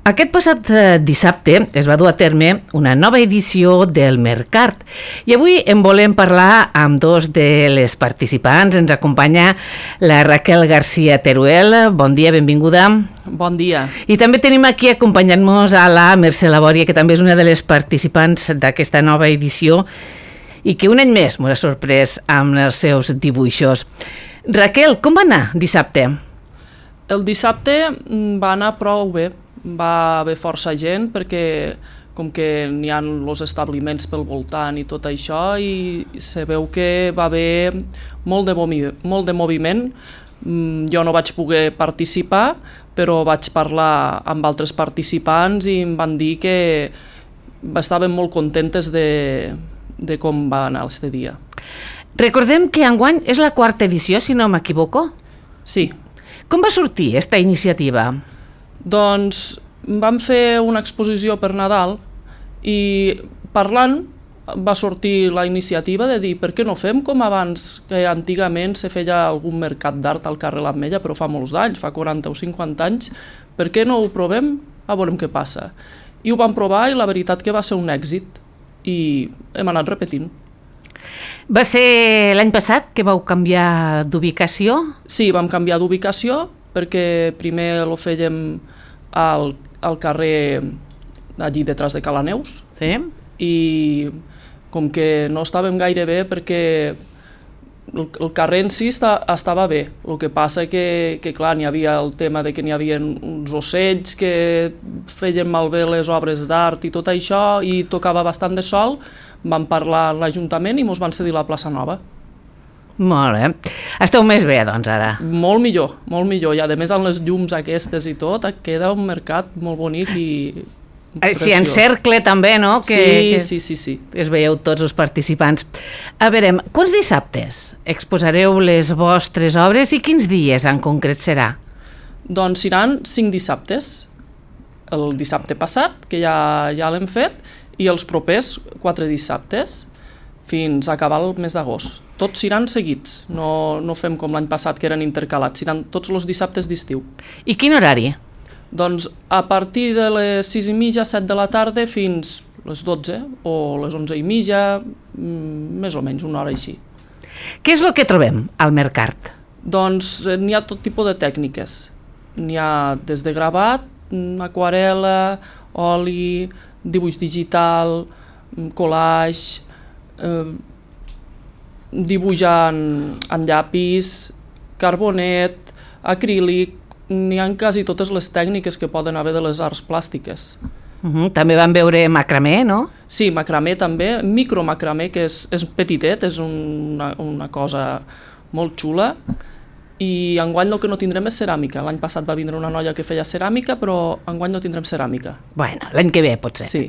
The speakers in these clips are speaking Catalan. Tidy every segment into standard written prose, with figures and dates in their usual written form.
Aquest passat dissabte es va dur a terme una nova edició del Mercart i avui en volem parlar amb dos de les participants. Ens acompanya la Raquel García Teruel. Bon dia, benvinguda. Bon dia. I també tenim aquí acompanyant-nos a la Mercè Labòria, que també és una de les participants d'aquesta nova edició i que un any més m'ha sorprès amb els seus dibuixos. Raquel, com va anar dissabte? El dissabte va anar prou bé. Va haver força gent perquè com que n'hi ha els establiments pel voltant i tot això, i se veu que va haver molt de moviment. Jo no vaig poder participar, però vaig parlar amb altres participants i em van dir que estaven molt contentes de com va anar aquest dia. Recordem que enguany és la 4ª edició, si no m'equivoco. Sí. Com va sortir aquesta iniciativa? Doncs vam fer una exposició per Nadal i parlant va sortir la iniciativa de dir per què no fem com abans, que antigament se feia algun mercat d'art al carrer l'Ametlla, però fa molts anys, fa 40 o 50 anys, per què no ho provem? A veure què passa. I ho vam provar i la veritat que va ser un èxit i hem anat repetint. Va ser l'any passat que vau canviar d'ubicació? Sí, vam canviar d'ubicació perquè primer ho fèiem al carrer allí detrás de Cala Neus. Sí. I com que no estàvem gaire bé perquè el carrer en si estava bé, el que passa que clar, n'hi havia el tema de que n'hi havia uns ocells que feien malbé les obres d'art i tot això, i tocava bastant de sol. Vam parlar a l'Ajuntament i ens van cedir la plaça Nova. Molt bé. Esteu més bé, doncs, ara? Molt millor, molt millor. I a més amb les llums aquestes i tot, queda un mercat molt bonic i preciós. Sí, en cercle també, no? Sí. Es veieu tots els participants. A veure, quants dissabtes exposareu les vostres obres i quins dies en concret serà? Doncs seran 5 dissabtes. El dissabte passat, que ja l'hem fet, i els propers 4 dissabtes, fins a acabar el mes d'agost. Tots seran seguits, no fem com l'any passat que eren intercalats, seran tots els dissabtes d'estiu. I quin horari? Doncs a partir de les 6:30, 7 de la tarda fins les 12 o les 11:30, més o menys una hora així. Què és el que trobem al Mercart? Doncs n'hi ha tot tipus de tècniques. N'hi ha des de gravat, aquarel·la, oli, dibuix digital, collage, dibuix en llapis, carbonet, acrílic. N'hi ha quasi totes les tècniques que poden haver de les arts plàstiques. També vam veure macramé, no? Sí, macramé també, micromacramé, que és petitet, és una cosa molt xula. I enguany el que no tindrem és ceràmica. L'any passat va vindre una noia que feia ceràmica, però enguany no tindrem ceràmica. Bueno, l'any que ve potser. Sí.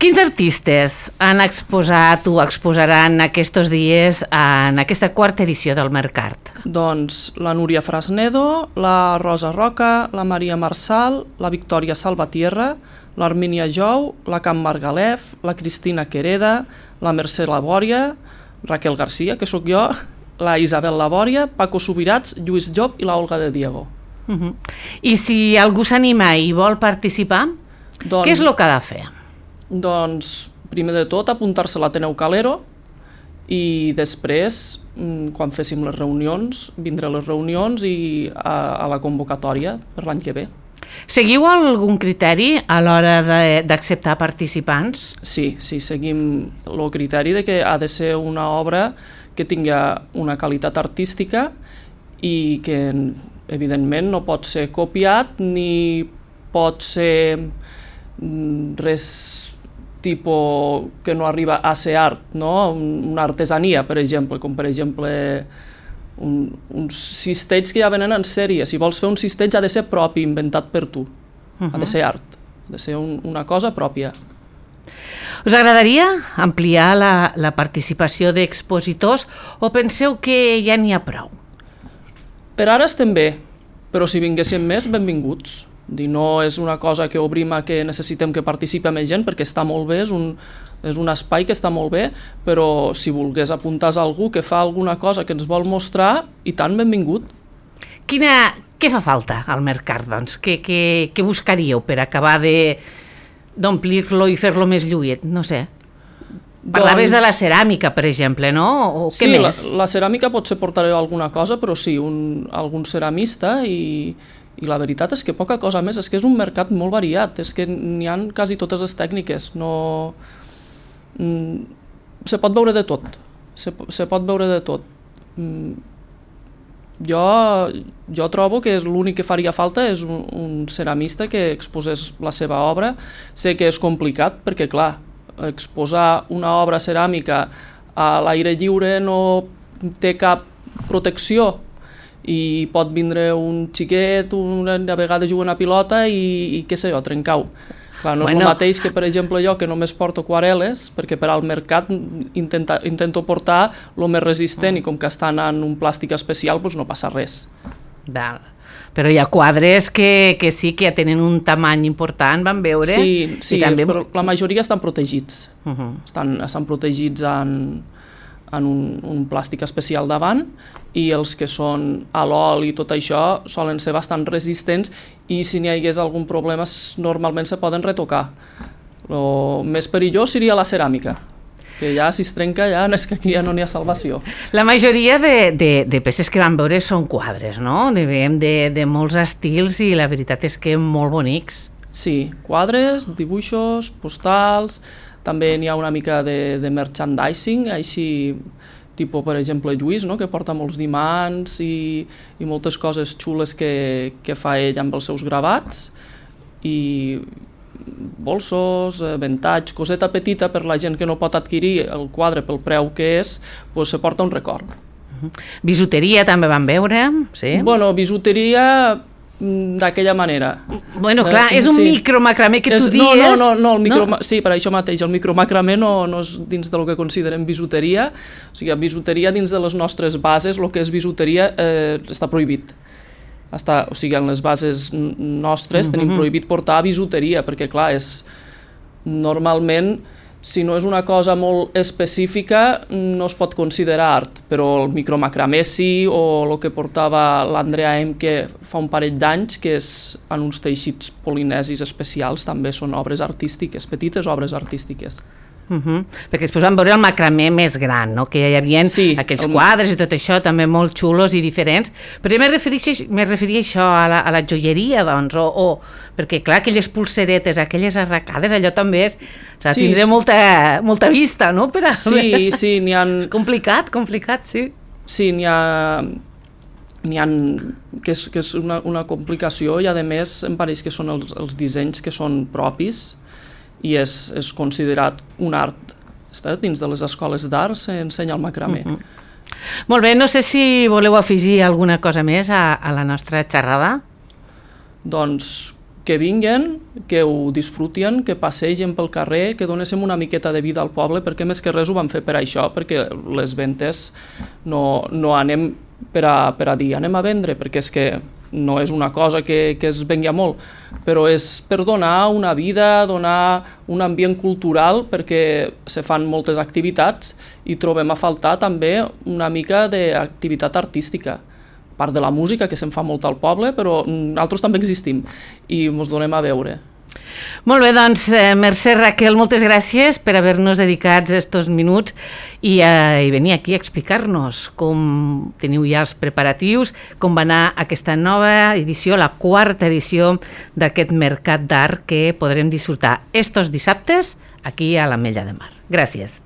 Quins artistes han exposat o exposaran aquests dies en aquesta 4ª edició del Mercart? Doncs la Núria Frasnedo, la Rosa Roca, la Maria Marsal, la Victòria Salvatierra, l'Armínia Jou, la Camp Margalef, la Cristina Quereda, la Mercè Labòria, Raquel García, que sóc jo, la Isabel Labòria, Paco Subirats, Lluís Llop i la Olga de Diego. I si algú s'anima i vol participar, què és el que ha de fer? Doncs, primer de tot, apuntar-se a l'Ateneu Calero i després, quan féssim les reunions, vindré a les reunions i a la convocatòria per l'any que ve. Seguiu algun criteri a l'hora d'acceptar participants? Sí, seguim el criteri de que ha de ser una obra que tingui una qualitat artística i que, evidentment, no pot ser copiat ni pot ser res tipus que no arriba a ser art, no? Una artesania, per exemple, com per exemple uns cistells que ja venen en sèrie. Si vols fer un cistell ha de ser propi, inventat per tu. Ha de ser art, ha de ser una cosa pròpia. Us agradaria ampliar la participació d'expositors o penseu que ja n'hi ha prou? Per ara estem bé, però si vinguéssim més, benvinguts. No és una cosa que obrim a que necessitem que participi més gent, perquè està molt bé, és un espai que està molt bé, però si volgués apuntar a algú que fa alguna cosa que ens vol mostrar, i tant, benvingut. Quina Què fa falta al mercat, doncs? Què buscaríeu per acabar d'omplir-lo i fer-lo més lluït? No sé. Parlaves de la ceràmica, per exemple, no? O què més? Sí, la ceràmica potser portaré alguna cosa, però sí, algun ceramista i la veritat és que poca cosa més, és que és un mercat molt variat, és que n'hi ha quasi totes les tècniques, no... Se pot veure de tot, se pot veure de tot. Jo trobo que l'únic que faria falta és un ceramista que exposés la seva obra. Sé que és complicat perquè, clar, exposar una obra ceràmica a l'aire lliure no té cap protecció i pot vindre un xiquet, a vegades jugant a pilota i què sé jo, trencar-ho. Clar, no és el mateix que, per exemple, jo que només porto aquarel·les, perquè per al mercat intento portar el més resistent i com que estan en un plàstic especial doncs no passa res. Val. Però hi ha quadres que sí que ja tenen un tamany important, van veure? Sí, també... però la majoria estan protegits. Estan protegits en un plàstic especial davant i els que són a l'oli i tot això solen ser bastant resistents i si n'hi hagués algun problema normalment se poden retocar. El més perillós seria la ceràmica, que ja si es trenca ja és que aquí ja no n'hi ha salvació. La majoria de peces que vam veure són quadres, no? Veiem de molts estils i la veritat és que molt bonics. Sí, quadres, dibuixos, postals, també n'hi ha una mica de merchandising, així, tipus, per exemple, Lluís, no? Que porta molts dimants i moltes coses xules que fa ell amb els seus gravats, i bolsos, ventatge, coseta petita per la gent que no pot adquirir el quadre pel preu que és, doncs se porta un record. Bisuteria també van veure, sí? Bueno, bisuteria d'aquella manera. Bueno, clar, és un micromacramé que tu dius... No, sí, per això mateix, el micromacramé no és dins del que considerem bisuteria, o sigui, bisuteria dins de les nostres bases, el que és bisuteria està prohibit. O sigui, en les bases nostres tenim prohibit portar bisuteria, perquè clar, normalment, si no és una cosa molt específica, no es pot considerar art, però el micromacramé sí, o el que portava l'Andrea Emke fa un parell d'anys, que és en uns teixits polinesis especials, també són obres artístiques, petites obres artístiques. Perquè després vam veure el macramé més gran, no? Que hi havia aquells quadres i tot això també molt xulos i diferents, però jo me referia a això, a la joieria, doncs, perquè clar, aquelles pulseretes, aquelles arracades, allò també tindrà molta vista, no? Sí, n'hi ha... Complicat, sí. Sí, n'hi ha que és una complicació i a més em pareix que són els dissenys que són propis i és considerat un art. Dins de les escoles d'art s'ensenya el macramé. Molt bé, no sé si voleu afegir alguna cosa més a la nostra xerrada. Doncs que vinguen, que ho disfrutien, que passegen pel carrer, que donéssim una miqueta de vida al poble, perquè més que res ho vam fer per això, perquè les ventes no anem per a dir anem a vendre, perquè és que no és una cosa que es vengui molt, però és per donar una vida, donar un ambient cultural, perquè se fan moltes activitats i trobem a faltar també una mica d'activitat artística. A part de la música, que se'n fa molt al poble, però nosaltres també existim i ens donem a veure. Molt bé, doncs, Mercè, Raquel, moltes gràcies per haver-nos dedicat estos minuts i venir aquí a explicar-nos com teniu ja els preparatius, com va anar aquesta nova edició, la 4ª edició d'aquest mercat d'art que podrem disfrutar estos dissabtes aquí a l'Ametlla de Mar. Gràcies.